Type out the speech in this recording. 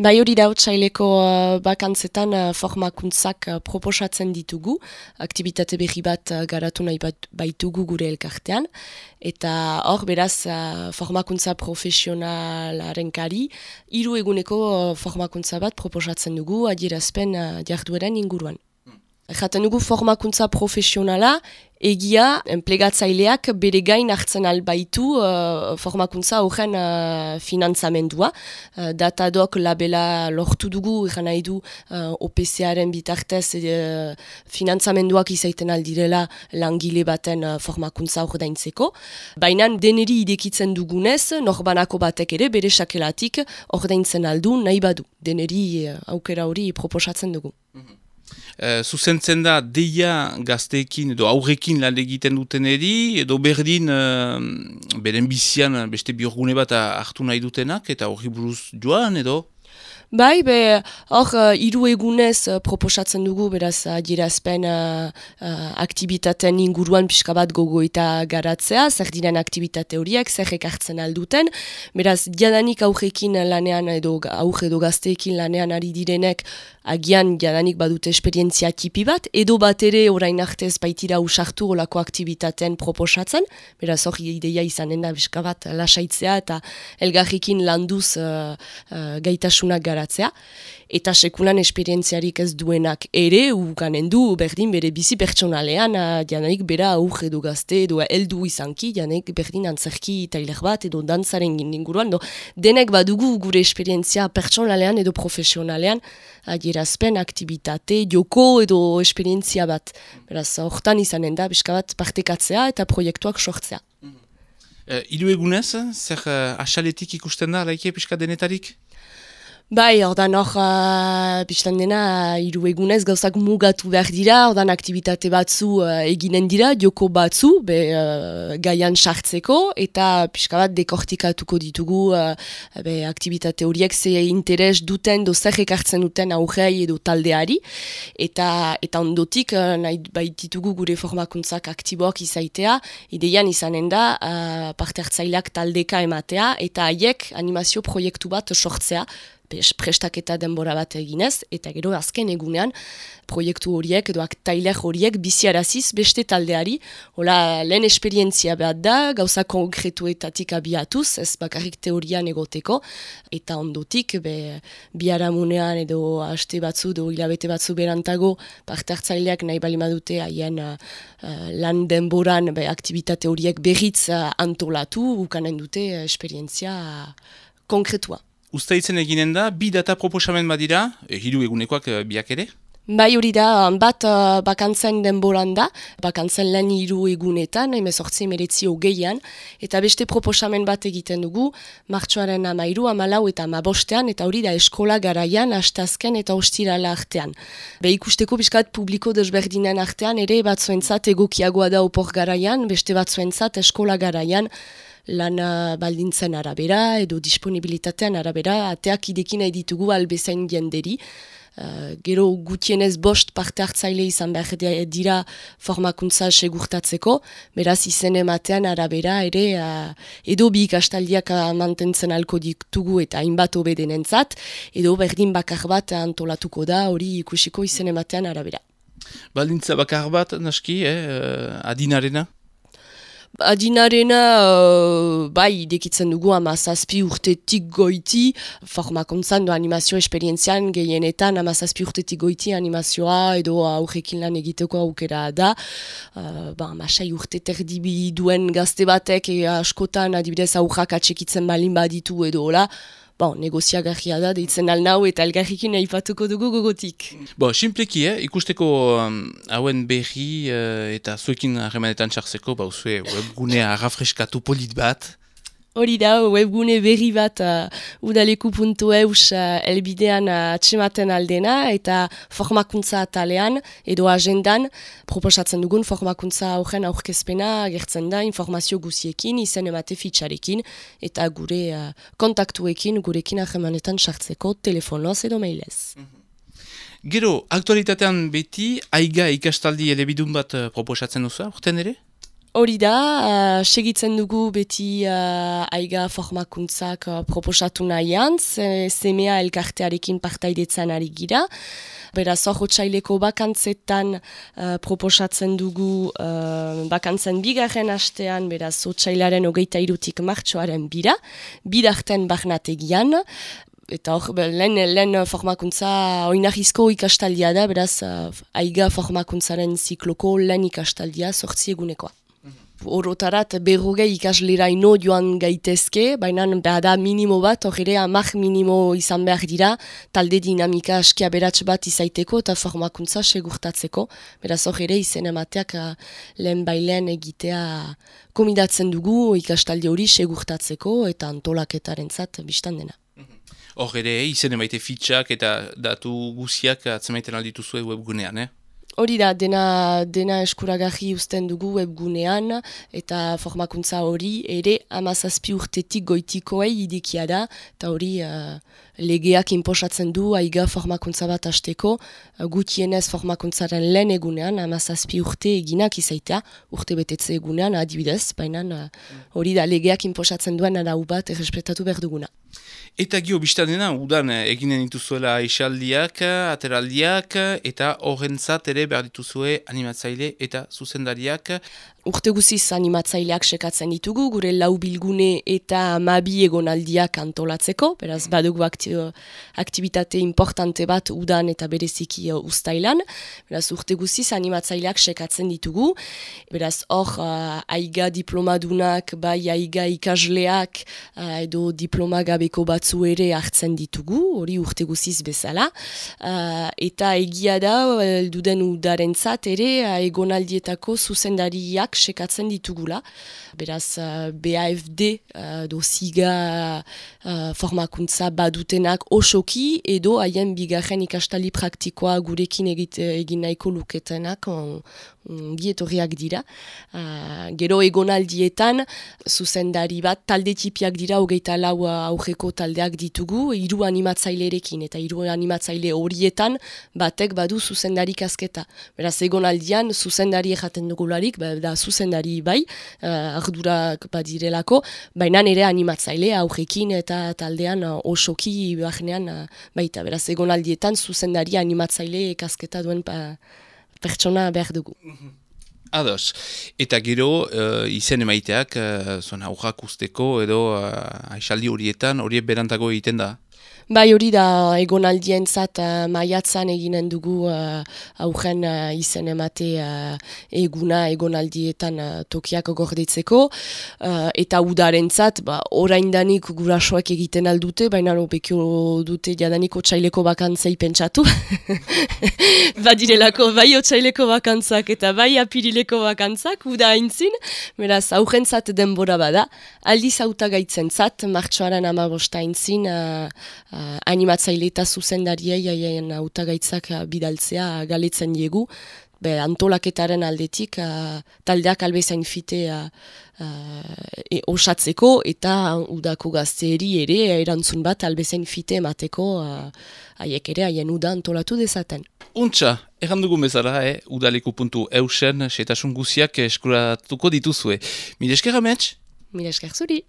Bai hori da otsaileko bakantzetan formakuntzak proposatzen ditugu, aktibitate berri bat garatu nahi baitugu gure elkartean, eta hor beraz formakuntza profesionalaren kari, 3 eguneko formakuntza bat proposatzen dugu adierazpen jardueren inguruan. Jaten dugu formakuntza profesionala, egia, enplegatzaileak bere gain hartzen albaitu formakuntza horren finantzamendua. Datadok labela lortu dugu, egan nahi du OPC-aren bitartez finantzamenduak izaiten aldirela langile baten formakuntza ordaintzeko. Baina deneri idekitzen dugunez, norbanako batek ere bere sakelatik ordaintzen aldu nahi badu. Deneri aukera hori proposatzen dugu. Zuzentzen da deia gazteekin edo aurrekin lan egiten duteneri edo berdin beren bizian beste biorgune bat hartu nahi dutenak eta horri buruz joan edo? Bai, hor 3 egunez proposatzen dugu, beraz adierazpen aktibitateen inguruan pixka bat gogoeta garatzea, zer diren aktibitate horiek, zer ekartzen alduten, beraz jadanik aurrekin lanean edo aurre edo gazteekin lanean ari direnek agian jadanik badute esperientzia tipi bat, edo bat ere orain artez baitira usartu olako aktivitateen proposatzen, beraz hori ideia izanen da pixka bat lasaitzea eta elgarrikin landuz gaitasunak garatzea, eta sekulan esperientziarik ez duenak ere ukanen du berdin bere bizi pertsonalean janaik bera aur edo gazte edo heldu izanki, janaik berdin antzerki tailer bat edo dantzaren inguruan, denek badugu gure esperientzia pertsonalean edo profesionalean adierazpen, aktibitate, joko edo esperientzia bat. Beraz, hortan izanen da, pixka bat partekatzea eta proiektuak sortzea. 3 egunez, zer asaletik ikusten da, laike pixka denetarik? Bai, ordan hor, biztan dena, 3 egunez gauzak mugatu behar dira, ordan aktivitate batzu eginen dira, joko batzu, gaian sartzeko, eta pixka bat dekortikatuko ditugu aktivitate horiek ze interes duten, zer ekartzen duten aurrei edo taldeari, eta ondotik nahi baititugu gure formakuntzak aktiboak izaitea, ideian izanen da parte hartzaileak taldeka ematea, eta haiek animazio proiektu bat sortzea, prestaketa denbora bat eginez, eta gero azken egunean proiektu horiek edo tailer horiek biziaraziz beste taldeari. Hola, lehen esperientzia bat da, gauza konkretuetatik abiatuz, ez bakarrik teorian egoteko, eta ondotik biharamunean edo haste batzu edo hilabete batzu berantago parte hartzaileak nahi balimadute haien lan denboran aktivitate horiek berriz antolatu, ukanen dute esperientzia konkretua. Uztaitzen eginen da, 2 data proposamen badira, 3 egunekoak biak ere? Bai hori da, bat bakantzen denboran da, bakantzen lehen 3 egunetan, 18-19 eta beste proposamen bat egiten dugu, martxoaren 13, 14 eta 15, eta hori da eskola garaian, asteazken eta ostirala artean. Ikusteko pixkat publiko desberdinen artean, ere batzuentzat egokiagoa da opor garaian, beste batzuentzat eskola garaian, lan baldintzen arabera edo disponibilitatean arabera, ateak idekin nahi ditugu albezain jenderi. Gero gutienez 5 parte hartzaile izan behar dira formakuntza segurtatzeko, beraz izen ematean arabera ere edo bi ikastaldiak mantentzen alko ditugu eta hainbat hobedenentzat, edo berdin bakar bat antolatuko da hori ikusiko izen ematean arabera. Baldintza bakar bat, naski, adinarena? Adinarena, bai, idekitzen dugu 17 urtetik goiti, formakuntzan do animazio esperientzian gehienetan 17 urtetik goiti animazioa edo aurrekin lan egiteko aukera da. 6 urte terdibi duen gazte batek askotan adibidez aurrak atxekitzen balin baditu edo hola, negoziagarria da, deitzen alnau eta elgarrikin aipatuko dugu gogotik. Simpleki, ikusteko hauen berri eta zuekin harremanetan txartzeko, zue webgunea arrafreskatu polit bat. Hori da, webgune berri bat udaleku.eus elbidean atxematen aldena eta formakuntza atalean edo agendan proposatzen dugun formakuntza horren aurkezpena gertzen da informazio guziekin, izen emate fitxarekin eta gure kontaktuekin gurekin harremanetan sartzeko telefonoz edo mailez. Gero, aktualitatean beti, aiga ikastaldi elebidun bat proposatzen duzu, urten ere? Hori da, segitzen dugu beti aiga formakuntzak proposatu nahian, semea elkartearekin partaidetzen ari gira. Beraz, hor otsaileko bakantzetan proposatzen dugu bakantzen bigarren astean, beraz, otsailaren 23 martxoaren bira, bidarten barnategian, eta hor, lehen formakuntza oinarrizko ikastaldia da, beraz, aiga formakuntzaren zikloko lehen ikastaldia 8 egunekoa. Orotarat berrogei ikasleraino joan gaitezke, baina da minimo bat, hor ere 10 minimo izan behar dira, talde dinamika askia beratx bat izaiteko eta formakuntza segurtatzeko. Beraz hor ere izen emateak lehen bailen egitea komidatzen dugu ikastaldi hori segurtatzeko eta antolaketarentzat bistan dena. Hor ere izen emaite fitxak eta datu guziak atzemaiten aldituzue webgunean, Hori da, dena eskuragarri uzten dugu webgunean eta formakuntza hori ere 17 urtetik goitikoei idikia da, eta hori legeak inposatzen du aiga formakuntza bat hasteko, gutienez formakuntzaren lehen egunean 17 urte eginak izaitea, urte betetze egunean adibidez, baina hori da legeak inposatzen duen arau bat errespetatu behar duguna. Eta gio biztanena, udan eginen dituzuela esaldiak, ateraldiak, eta horrentzat ere behar dituzue animatzaile eta zuzendariak. Urte guziz animatzaileak sekatzen ditugu, gure lau bilgune eta 12 egonaldiak antolatzeko, beraz badugu aktibitate importante bat udan eta bereziki uztailan. Beraz urte guziz animatzaileak sekatzen ditugu, beraz hor aiga diplomadunak, bai aiga ikasleak edo diploma gabeko batzu ere hartzen ditugu, hori urte guziz bezala. Eta egia da, elduden udarentzat ere egonaldietako zuzendariak sekatzen ditugula. Beraz, BAFD doziga formakuntza badutenak osoki edo haien bigarren ikastali praktikoa gurekin egin nahiko luketenak gietorriak dira. Gero egonaldietan zuzendari bat talde tipiak dira 24 aurreko taldeak ditugu, 3 animatzailerekin eta 3 animatzaile horietan batek badu zuzendari kasketa. Beraz egonaldian zuzendari jaten dugularik, da zuzendari bai, ardurak badirelako, baina ere animatzaile aurrekin eta taldean osoki bahnean baita. Beraz egonaldietan zuzendari animatzaile kasketa duen pertsona behar dugu. Ados. Eta gero izen emaiteak zuen aurrak usteko edo aisaldi horietan horiek berantago egiten da? Bai, hori da egonaldientzat maiatzan eginen dugu aurren izen emate eguna egonaldietan tokiak gordetzeko, eta udarentzat oraindanik gurasoak egiten aldute, baina bekio dute jadanik otsaileko bakantzei pentsatu. Badirelako bai otsaileko bakantzak eta bai apirileko bakantzak, uda haintzin, beraz aurrentzat denbora bada, aldiz hautagaitzentzat, martxoaren 15 haintzin, animatzaile eta zuzendariei haien hautagaitzak bidaltzea galetzen diegu. Antolaketaren aldetik taldeak albezain fite osatzeko eta udako gazteeri ere erantzun bat albezain fite emateko haiek ere haien uda antolatu dezaten. Untxa, errandugun bezala, udaleku.eusen setasun guziak eskuratuko dituzue. Mil esker amets? Mil esker zuri.